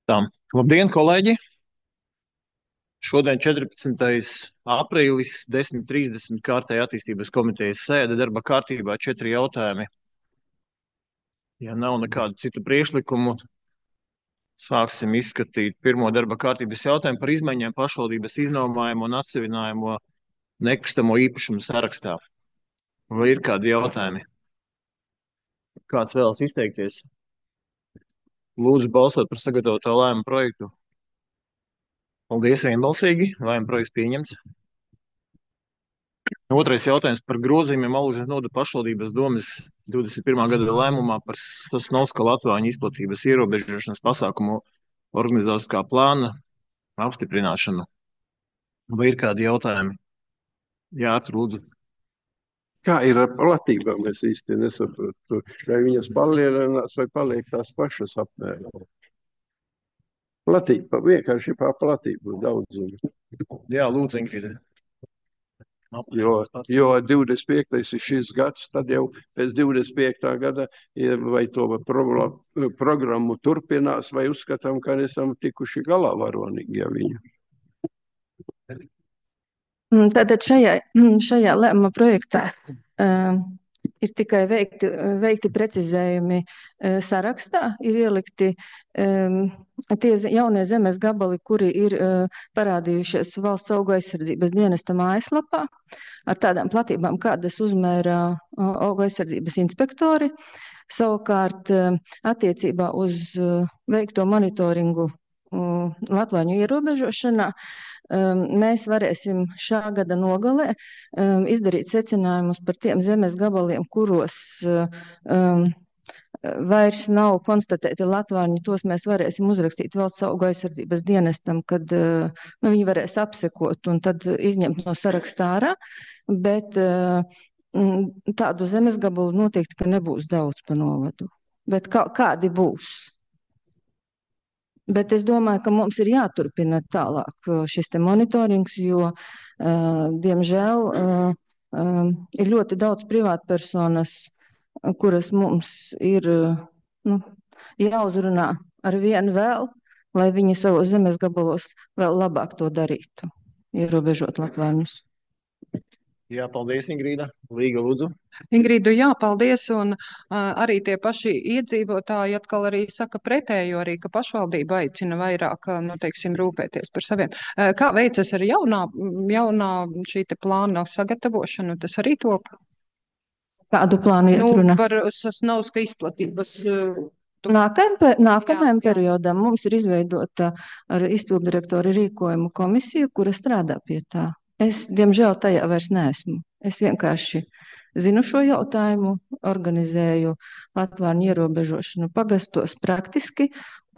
Tā. Labdien, kolēģi! Šodien 14. aprīlis, 10:30 kārtēja attīstības komitejas sēde, darba kārtībā 4 jautājumi. Ja nav nekādu citu priekšlikumu, sāksim izskatīt pirmo darba kārtības jautājumu par izmaiņām pašvaldības iznomājumu un atsevinājumu nekustamo īpašumu sarakstā. Vai ir kādi jautājumi? Kāds vēlas izteikties? Lūdzu balsot par sagatavoto lēmumu projektu. Paldies, vienbalsīgi. Lēmuma projekts pieņemts. Otrais jautājums par grozījumiem Alūksnes novada pašvaldības domes 21. gada lēmumā par Sosnovska Latvāņu izplatības ierobežošanas pasākumu organizatoriskā plāna apstiprināšanu. Vai ir kādi jautājumi? Jā, lūdzu. Kā ir ar platībām? Es īsti nesaprotu, vai viņas palielinās vai paliek tās pašas apmēram. Platība, vienkārši par platību daudzumu. Jā, lūdzu, Ingrid. Jo 25. ir šis gads, tad jau pēc 25. gada vai to programmu turpinās, vai uzskatām, ka esam tikuši galā varonīgi ar viņu. Tātad šajā lēmuma projektā ir tikai veikti precizējumi sarakstā, ir ielikti tie jaunie zemes gabali, kuri ir parādījušies valsts augu aizsardzības dienesta mājaslapā ar tādām platībām, kādas uzmēra augu aizsardzības inspektori. Savukārt attiecībā uz veikto monitoringu Latvāņu ierobežošanā mēs varēsim šā gada nogalē izdarīt secinājumus par tiem zemes gabaliem, kuros vairs nav konstatēti Latvāņi. Tos mēs varēsim uzrakstīt valsts augu aizsardzības dienestam, kad viņi varēs apsekot un tad izņemt no sarakstā ārā. Bet tādu zemes gabalu noteikti, ka nebūs daudz pa novadu. Bet kādi būs? Bet es domāju, ka mums ir jāturpina tālāk šis te monitorings, jo, diemžēl, ir ļoti daudz privātpersonas, kuras mums ir jāuzrunā ar vienu vēl, lai viņi savos zemes gabalos vēl labāk to darītu, ierobežot Latvāņus. Jā, paldies, Ingrīda. Līga, lūdzu. Ingrīdu, jā, paldies, un arī tie paši iedzīvotāji atkal arī saka pretējo, arī, ka pašvaldība aicina vairāk, teiksim, rūpēties par saviem. Kā veicas ar jaunā šī te plāna sagatavošanu, tas arī top? Kādu plānu iet runa? Par Sosnovska izplatības. Nākamajam periodam mums ir izveidota ar izpildirektora rīkojumu komisiju, kura strādā pie tā. Es, diemžēl, tajā vairs neesmu. Es vienkārši zinu šo jautājumu, organizēju Latvāņu ierobežošanu pagastos praktiski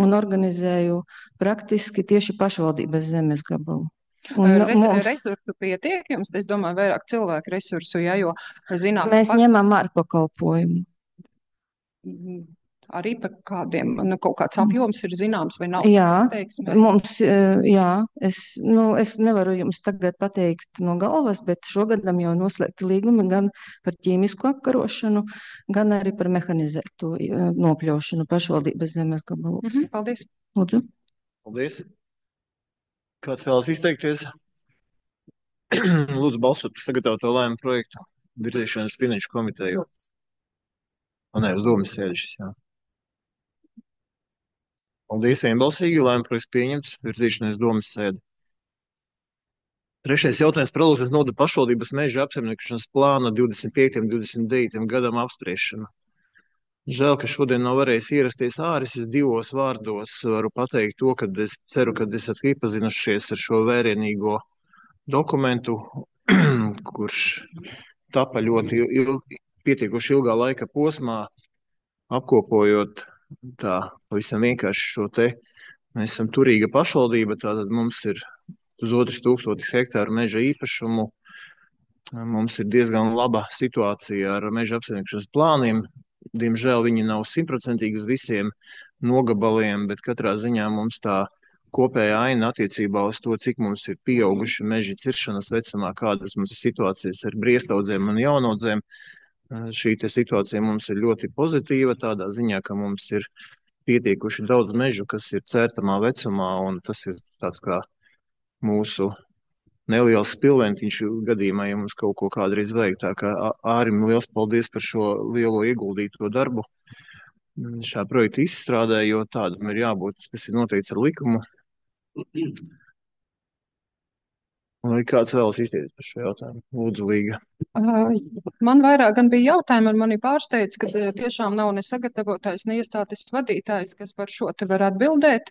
un organizēju praktiski tieši pašvaldības zemes gabalu. Resursu pietiek jums? Es domāju, vairāk cilvēku resursu, ja, jo zinām. Mēs ņemam ārpakalpojumu. Arī par kādiem, kaut kāds apjoms ir zināms vai nav? Jā, mums, jā, es nevaru jums tagad pateikt no galvas, bet šogadam jau noslēgti līgumi gan par ķīmisku apkarošanu, gan arī par mehanizēto nopļaušanu pašvaldības zemes gabalos. Paldies. Lūdzu. Paldies. Kāds vēlas izteikties? Lūdzu balsot par sagatavoto lēmumu projektu virzīšanu uz finanšu komiteju. Nē, uz domas sēdešas, jā. Paldies, vienbalsīgi, lēmuma projekts pieņemts, virzīšanai uz domas sēdi. Trešais jautājums par Alūksnes novada pašvaldības meža apsaimniekošanas plāna 25. un 29. gadam apspriešanu. Žēl, ka šodien nav varējis ierasties Āris. Es divos vārdos varu pateikt to, ka es ceru, ka esat iepazinušies ar šo vērienīgo dokumentu, kurš tapa ļoti pietiekuši ilgā laika posmā, apkopojot tā pavisam vienkārši šo te. Mēs esam turīga pašvaldība, tātad mums ir uz 2000 hektāru meža īpašumu. Mums ir diezgan laba situācija ar meža apsaimniekošanas plāniem. Diemžēl viņi nav 100% uz visiem nogabaliem, bet katrā ziņā mums tā kopējā aina attiecībā uz to, cik mums ir pieauguši meži ciršanas vecumā, kādas mums ir situācijas ar briestaudzēm un jaunaudzēm. Šī te situācija mums ir ļoti pozitīva, tādā ziņā, ka mums ir pietiekuši daudz mežu, kas ir cērtamā vecumā, un tas ir tāds kā mūsu neliels spilventiņš gadījumā, ja mums kaut ko kādreiz vajag. Tā kā Ārim liels paldies par šo lielo ieguldīto darbu šā projekta izstrādē, jo tādam ir jābūt, tas ir noteikts ar likumu. Vai kāds vēlas izteikties par šo jautājumu? Lūdzu, Līga. Man vairāk gan bija jautājumi, un mani pārsteidz, ka tiešām nav ne sagatavotājs, ne iestādes vadītājs, kas par šo te var atbildēt.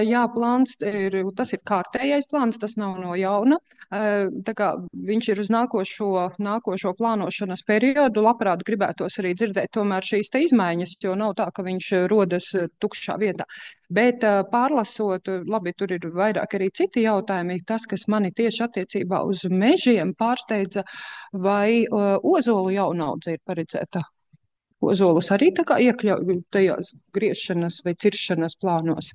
Jā, plāns tas ir kārtējais plāns, tas nav no jauna. Tā kā viņš ir uz nākošo plānošanas periodu, labprāt gribētos arī dzirdēt tomēr šīs te izmaiņas, jo nav tā, ka viņš rodas tukšā vietā. Bet pārlasot, labi, tur ir vairāk arī citi jautājumi. Tas, kas mani tieši attiecībā uz mežiem pārsteidza, vai ozolu jaunaudze ir paredzēta? Ozolus arī tā kā iekļauj tajās griešanas vai ciršanas plānos?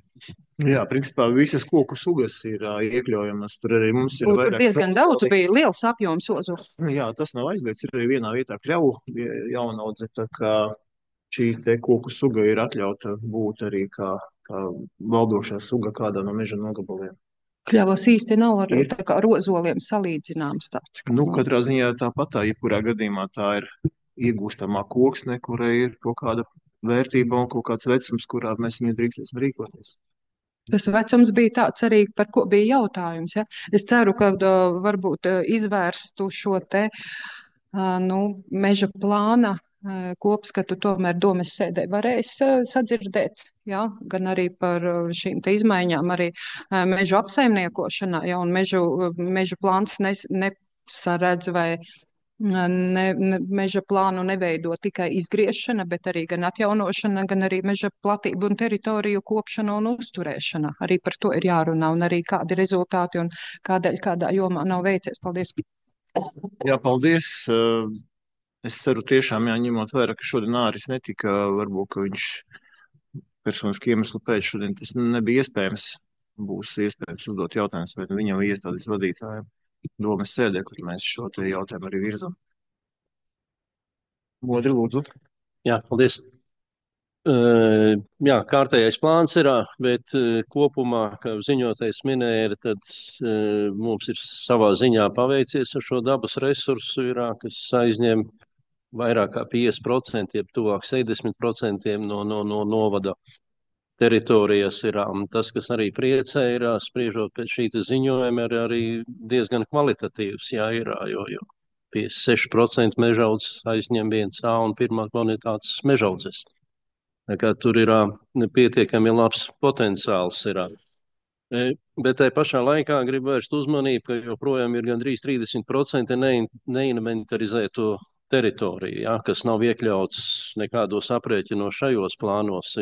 Jā, principā visas koku sugas ir iekļaujamas. Tur arī mums ir Tur diezgan daudz bija, liels apjoms ozols. Jā, tas nav aizliegts. Ir arī vienā vietā kļavu jaunaudze, tā kā šī te koku suga ir atļauta būt arī kā valdošā suga kādā no meža nogabaliem. Kļavas īsti nav ar tā kā rozoliem salīdzināms tāds. Nu, katrā ziņā tāpat jebkurā gadījumā tā ir iegūstamā koksne, kurai ir kaut kāda vērtība un kaut kāds vecums, kurā mēs viņu drīkstēsim rīkoties. Tas vecums bija tāds arī, par ko bija jautājums. Ja? Es ceru, ka varbūt izvērstu šo te meža plāna kopskatu tomēr domes sēdē varēs sadzirdēt, ja? Gan arī par šīm te izmaiņām, arī mežu apsaimniekošanā, ja? Un meža plāns nesaredz vai meža plānu neveido tikai izgriešana, bet arī gan atjaunošana, gan arī meža platību un teritoriju kopšana un uzturēšana. Arī par to ir jārunā un arī kādi rezultāti un kādēļ kādā jomā nav veicies. Paldies! Jā, paldies! Es ceru tiešām, ņemot vērā, ka šodien Āris netika, varbūt, ka viņš personiski iemeslu pēc šodien tas nebija iespējams. Būs iespējams uzdot jautājumus vai viņam iestādes vadītājiem domes sēdē, kur mēs šo te jautājumu arī virzam. Modri, lūdzu. Jā, paldies. Jā, kārtējais plāns ir, bet kopumā, kā ziņotais minēja, tad mums ir savā ziņā paveicies ar šo dabas resursu, kas aizņem vairāk kā 50%, jeb tuvāk 70% no novada teritorijas ir tas, kas arī priecē, ir spriežot pēc šī ziņojuma, ir arī diezgan kvalitatīvs, jo 56% mežaudzes aizņem 1A un pirmā kvalitātes mežaudzes. Tā kā tur ir pietiekami labs potenciāls. Bet tai pašā laikā gribu vērst uzmanību, ka joprojām ir gandrīz 30% neinventarizēto teritoriju, kas nav iekļauts nekādos aprēķinos šajos plānos.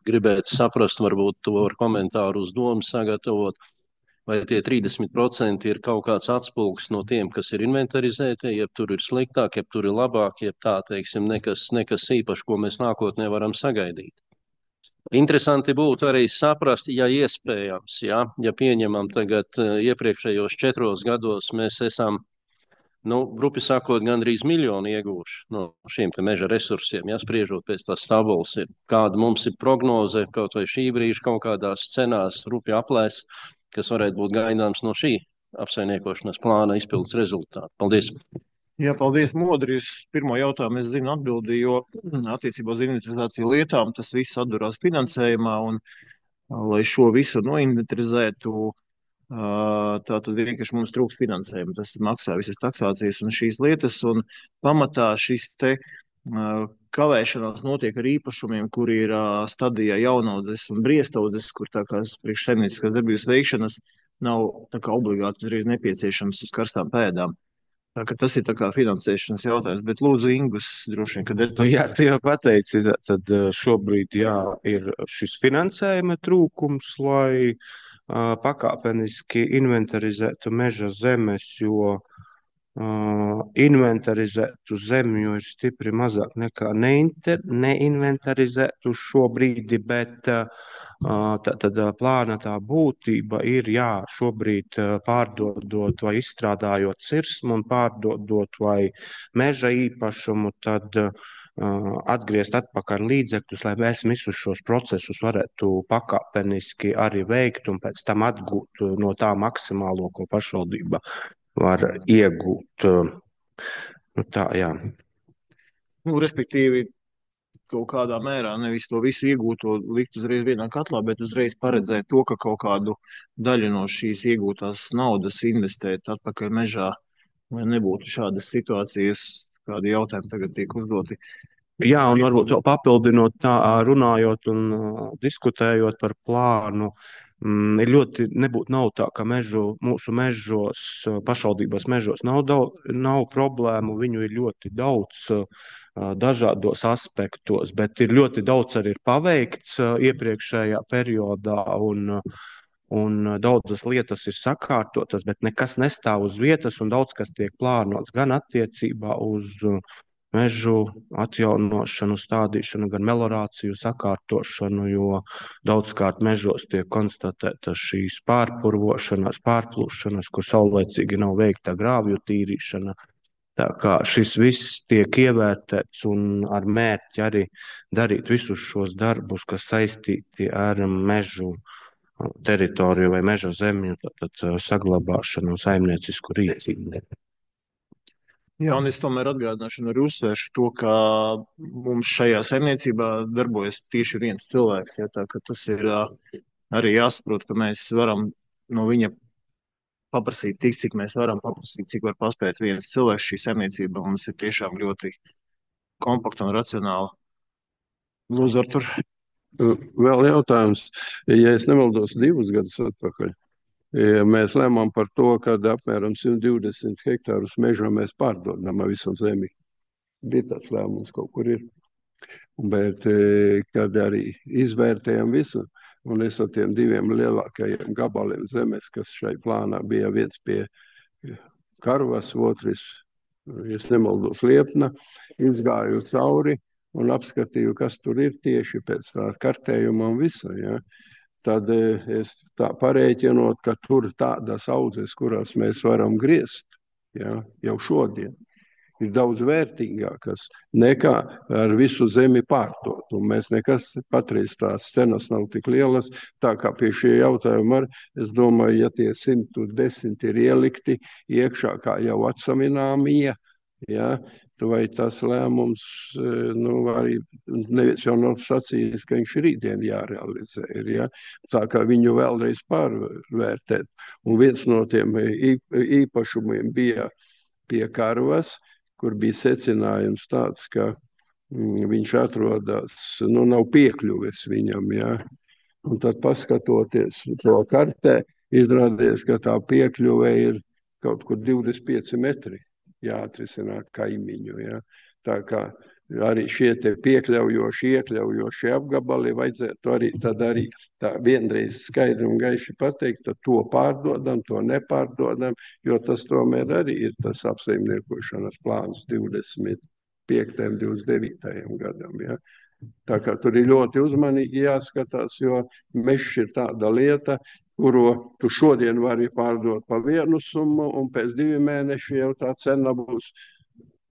Gribētu saprast, varbūt to ar komentāru uz domu sagatavot, vai tie 30% ir kaut kāds atspulgs no tiem, kas ir inventarizēti, jeb tur ir sliktāk, jeb tur ir labāk, jeb tā, teiksim, nekas īpaši, ko mēs nākotnē varam sagaidīt. Interesanti būtu arī saprast, ja iespējams, ja pieņemam tagad iepriekšējos 4 gados mēs esam, grupi sakot, gandrīz 1 miljonu ieguvuši no šiem te meža resursiem, spriežot pēc tās tabulas, kāda mums ir prognoze, kaut vai šī brīža kaut kādās scenās, rupi aplēs, kas varētu būt gaidāms no šī apsaimniekošanas plāna izpildes rezultātu. Paldies! Jā, paldies, Modri. Uz pirmo jautājumu es zinu atbildi, jo attiecībā uz inventarizāciju lietām tas viss atdurās finansējumā, un lai šo visu noinventarizētu, tātad vienkārši mums trūks finansējuma. Tas maksā visas taksācijas un šīs lietas, un pamatā šis te kavēšanās notiek ar īpašumiem, kur ir stadijā jaunaudzes un briestaudzes, kur tā kā priekš saimnieciskās darbības veikšanas nav tā kā obligāti uzreiz nepieciešams uz karstām pēdām. Tā ka tas ir tā kā finansēšanas jautājums, bet lūdzu Ingus droši vien, kad Jā, tu jau pateici, tad šobrīd ir šis finansējuma trūkums, lai pakāpeniski inventarizētu meža zemes, jo inventarizētu zemju ir stipri mazāk nekā neinventarizētu šobrīd, bet tad plāna tā būtība ir, šobrīd pārdodot vai izstrādājot cirsmu un pārdodot vai meža īpašumu, tad atgriezt atpakaļ līdzekļus, lai mēs visus šos procesus varētu pakāpeniski arī veikt un pēc tam atgūt no tā maksimālo, ko pašvaldība var iegūt. Nu, tā, jā. Nu, respektīvi, kaut kādā mērā nevis to visu iegūto likt uzreiz vienā katlā, bet uzreiz paredzēt to, ka kaut kādu daļu no šīs iegūtās naudas investēt atpakaļ mežā, lai nebūtu šādas situācijas, kādi jautājumi tagad tiek uzdoti. Jā, un varbūt vēl papildinot tā, runājot un diskutējot par plānu, ir ļoti nav tā, ka mūsu mežos, pašvaldības mežos nav problēmu, viņu ir ļoti daudz dažādos aspektos, bet ir ļoti daudz arī ir paveikts iepriekšējā periodā un daudzas lietas ir sakārtotas, bet nekas nestāv uz vietas un daudz kas tiek plānots gan attiecībā uz mežu atjaunošanu, stādīšanu, gan melorāciju sakārtošanu, jo daudzkārt mežos tiek konstatēta šīs pārpurvošanas, pārplūšanas, kur saulēcīgi nav veikta grāvju tīrīšana. Tā kā šis viss tiek ievērtēts un ar mērķi arī darīt visus šos darbus, kas saistīti ar mežu teritoriju vai meža zemju, tad saglabāšanu un saimniecisku rīcību. Jā, un es tomēr atgādināšu un arī uzsvēršu to, ka mums šajā saimniecībā darbojas tieši viens cilvēks. Ja, tā, ka tas ir arī jāsaprot, ka mēs varam no viņa paprasīt tik, cik mēs varam paprasīt, cik var paspēt viens cilvēks. Šī saimniecība mums ir tiešām ļoti kompakta un racionāla. Lūdzu, Artur. Vēl jautājums, ja es nemaldos 2 gadus atpakaļ. Mēs lēmām par to, ka apmēram 120 hektārus mežā mēs pārdodam visu zemi. Bija tāds lēmums, kaut kur ir. Bet, kad arī izvērtējam visu, un es ar tiem 2 lielākajiem gabaliem zemes, kas šai plānā bija viens pie Karvas, otrs, ja nemaldos, Liepna, izgāju cauri un apskatīju, kas tur ir tieši pēc tā kartējuma un visa, ja. Tad es tā parēķinot, ka tur tādas audzes, kurās mēs varam griezt, ja, jau šodien, ir daudz vērtīgākas nekā ar visu zemi pārdot. Un mēs nekas patreiz tās cenas nav tik lielas, tā kā pie šie jautājumi es domāju, ja tie 110 ir ielikti iekšā kā jau atsamināmie, ja, vai tas lēmums, arī neviens jau nav sacījis, ka viņš rītdien jārealizē, ja? Tā kā viņu vēlreiz pārvērtēt. Un viens no tiem īpašumiem bija pie Karvas, kur bija secinājums tāds, ka viņš atrodas, nav piekļuves viņam, ja? Un tad paskatoties to kartē, izrādījās, ka tā piekļuve ir kaut kur 25 metri. Jāatrisināt kaimiņu. Ja? Tā kā arī šie te iekļaujoši apgabali vajadzētu arī tā vienreiz skaidri un gaiši pateikt, tad to pārdodam, to nepārdodam, jo tas tomēr arī ir tas apsaimniekošanas plāns 25. 29. gadam. Ja? Tā kā tur ir ļoti uzmanīgi jāskatās, jo mežs ir tāda lieta, kuru tu šodien vari pārdot pa vienu summu, un pēc 2 mēnešiem jau tā cena būs,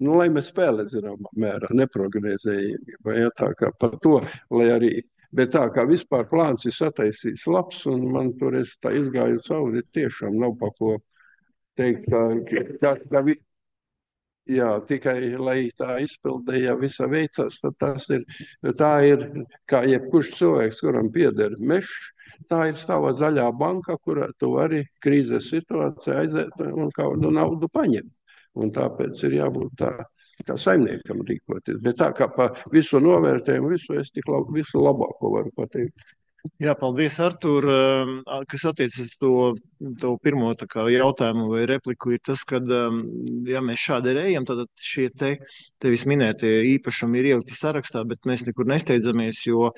lai mēs spēlē zināmā mērā, neprogresējami. Ja, tā kā par to, lai arī, bet tā kā vispār plāns ir sataisīts labs, un man tur es tā izgāju cauri, tiešām nav pa ko teikt, jā, tikai, lai tā izpildē, ja visa veicās, tad tā ir, kā jebkurš cilvēks, kuram pieder mežs, tā ir sava zaļā banka, kurā tu vari krīzes situācijā aiziet un kādu naudu paņemt. Un tāpēc ir jābūt tā, kā saimniekam rīkoties. Bet tā kā pa visu novērtējumu, es tik visu labāko varu pateikt. Jā, paldies, Artur. Kas attiecas uz to pirmo jautājumu vai repliku, ir tas, ka, ja mēs šādi ejam, tad šie tevis minētie īpašumi ir ielikti sarakstā, bet mēs nekur nesteidzamies, jo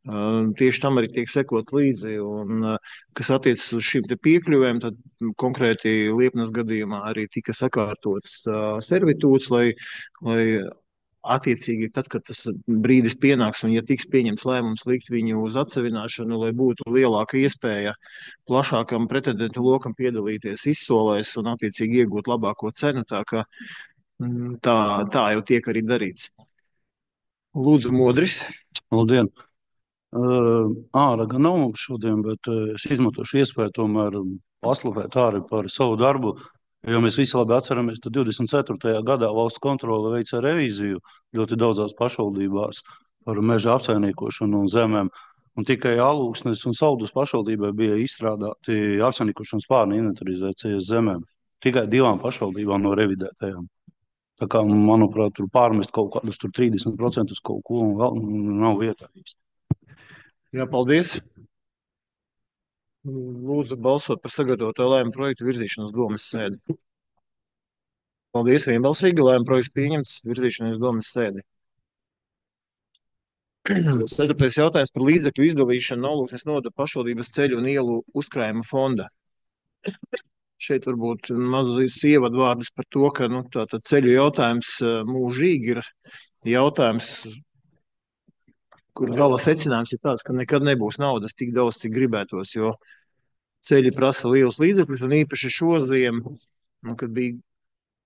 tieši tam arī tiek sekot līdzi. Un, kas attiecas uz šīm piekļuvēm, tad konkrēti Liepnas gadījumā arī tika sakārtots servitūts, lai attiecīgi tad, kad tas brīdis pienāks un ja tiks pieņemts lēmums likt viņu uz atsevināšanu, lai būtu lielāka iespēja plašākam pretendentu lokam piedalīties izsolēs un attiecīgi iegūt labāko cenu, tā jau tiek arī darīts. Lūdzu, Modris. Labdien! Ārā gan nav mums šodien, bet es izmantošu iespēju tomēr paslavēt Āri par savu darbu. Jo mēs visi labi atceramies, ka 24. gadā valsts kontrole veica revīziju ļoti daudzās pašvaldībās par meža apsaimniekošanu un zemēm. Un tikai Alūksnes un Saldus pašvaldībai bija izstrādāti apsaimniekošanas plāni inventarizācijas zemēm. Tikai 2 pašvaldībām no revidētajām. Tā kā, manuprāt, tur pārmest kaut kādus 30% kaut ko un vēl nav vietā īsti. Jā, paldies. Lūdzu balsot par sagatavoto lēmumu projektu virzīšanu uz domas sēdi. Paldies, vienbalsīgi. Lēmuma projekts pieņemts, virzīšanu uz domas sēdi. 4. jautājums par līdzekļu izdalīšanu Alūksnes novada pašvaldības ceļu un ielu uzkrājuma fonda. Šeit varbūt mazus ievadvārdus par to, ka tātad ceļu jautājums mūžīgi ir jautājums, kur gala secinājums ir tāds, ka nekad nebūs naudas tik daudz, cik gribētos, jo ceļi prasa lielus līdzekļus, un īpaši šo ziemu, kad bija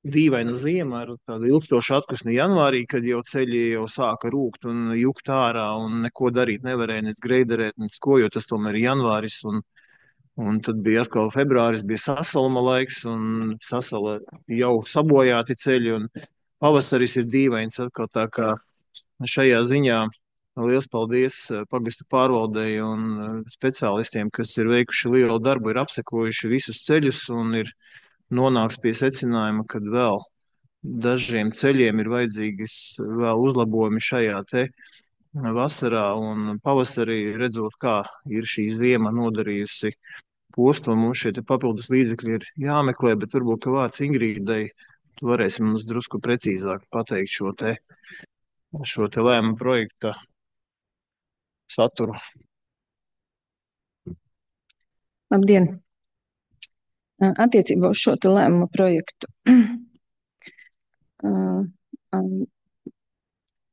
dīvaina ziema ar tādu ilgstošu atkusni janvārī, kad jau ceļi jau sāka rūkt un jukt ārā, un neko darīt nevarēja, nec greiderēt, nec ko, jo tas tomēr ir janvāris, un tad bija atkal februāris, bija sasaluma laiks, un sasala jau sabojāti ceļi, un pavasaris ir dīvains atkal, tā kā šajā ziņā liels paldies pagastu pārvaldei un speciālistiem, kas ir veikuši lielu darbu, ir apsekojuši visus ceļus un ir nonāks pie secinājuma, ka vēl dažiem ceļiem ir vajadzīgas vēl uzlabojumi šajā te vasarā un pavasarī, redzot, kā ir šī ziema nodarījusi postu, un mums šie te papildus līdzekļi ir jāmeklē, bet varbūt, ka vārds Ingrīdai, tu varēsi mums drusku precīzāk pateikt šo te lēmumu projekta saturu. Labdien! Attiecībā uz šo te lēmumu projektu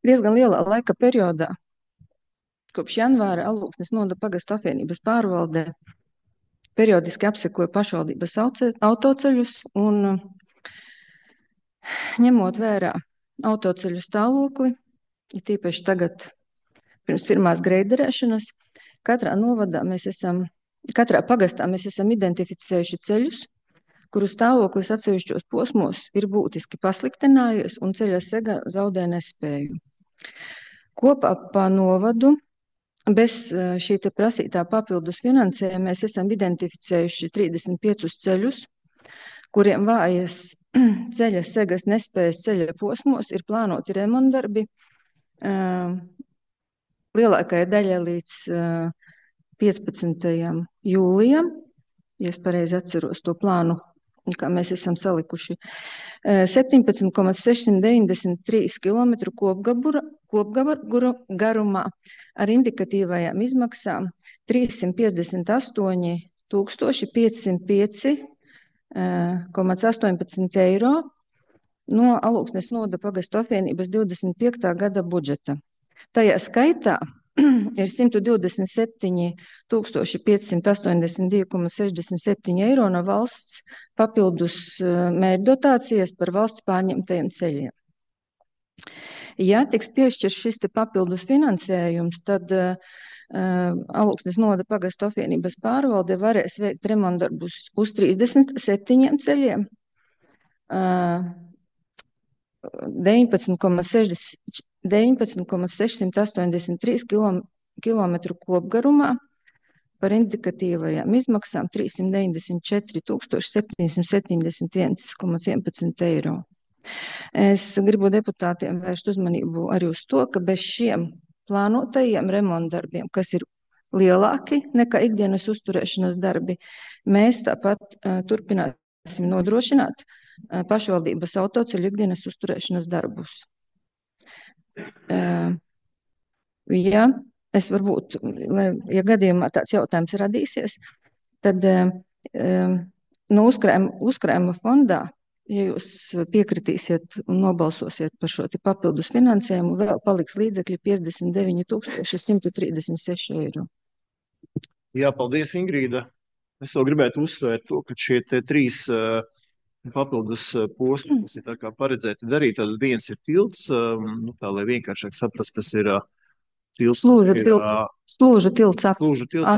diezgan lielā laika periodā, kopš janvāra Alūksnes novada pagastu apvienības pārvaldē, periodiski apsekoja pašvaldības autoceļus un ņemot vērā autoceļu stāvokli, ir tīpaši tagad pirms pirmās greiderēšanas, katrā pagastā mēs esam identificējuši ceļus, kuru stāvoklis atsevišķos posmos ir būtiski pasliktinājies un ceļa sega zaudē nespēju. Kopā pa novadu bez šī te prasītā papildus finansējuma mēs esam identificējuši 35 ceļus, kuriem vājas ceļa segas nespējas ceļa posmos ir plānoti remontdarbi lielākajai daļai līdz 15. jūlijam, ja es pareizi atceros to plānu, kā mēs esam salikuši, 17,693 km kopgabaru garumā ar indikatīvajām izmaksām 358 505,18 eiro no Alūksnes novada pagastu apvienības 25. gada budžeta. Tajā skaitā ir 127 582,67 eiro no valsts papildus mērķdotācijas par valsts pārņemtajiem ceļiem. Ja tiks piešķirts šis te papildus finansējums, tad Alūksnes novada pagastu apvienības pārvalde varēs veikt remontdarbus uz 37 ceļiem, 19,683 km kopgarumā par indikatīvajām izmaksām 394 771,11 eiro. Es gribu deputātiem vērst uzmanību arī uz to, ka bez šiem plānotajiem remontdarbiem, kas ir lielāki nekā ikdienas uzturēšanas darbi, mēs tāpat turpināsim nodrošināt pašvaldības autoceļu ikdienas uzturēšanas darbus. Ja es varbūt, ja gadījumā tāds jautājums radīsies, tad no uzkrājuma fondā, ja jūs piekritīsiet un nobalsosiet par šo papildus finansējumu, vēl paliks līdzekļi 59 136 eiro. Jā, paldies, Ingrīda. Es vēl gribētu uzsvērt to, ka šie te 3 papildus posmu, kas ir tā kā paredzēti darīt. Tad viens ir tilts, tā lai vienkāršāk saprast, tas ir tilts. Slūža tilts Slūža tilts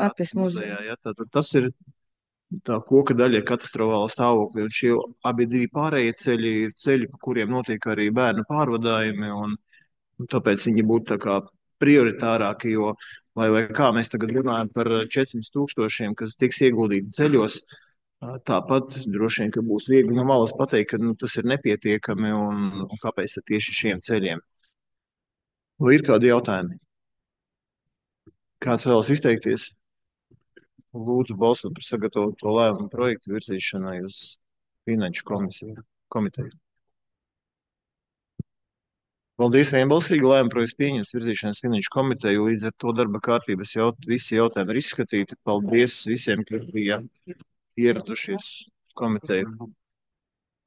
Ates muzejā. Ja, tad tas ir tā koka daļa katastrofālā stāvoklī, un šie abi divi pārējie ceļi ir ceļi, pa kuriem notiek arī bērnu pārvadājumi, un tāpēc viņi būtu tā kā prioritārāki, jo, lai kā mēs tagad runājam par 400,000, kas tiks ieguldīti ceļos, tāpat droši vien, ka būs viegli no malas pateikt, ka tas ir nepietiekami un kāpēc tieši šiem ceļiem. Vai ir kādi jautājumi? Kāds vēlas izteikties? Lūdzu balsot par sagatavoto lēmumu projektu virzīšanai uz Finanšu komiteju. Paldies, vienbalsīgi lēmumu projekts pieņems virzīšanas Finanšu komiteju, līdz ar to darba kārtības visi jautājumi ir izskatīti. Paldies visiem, kas bija ieradušies komiteju.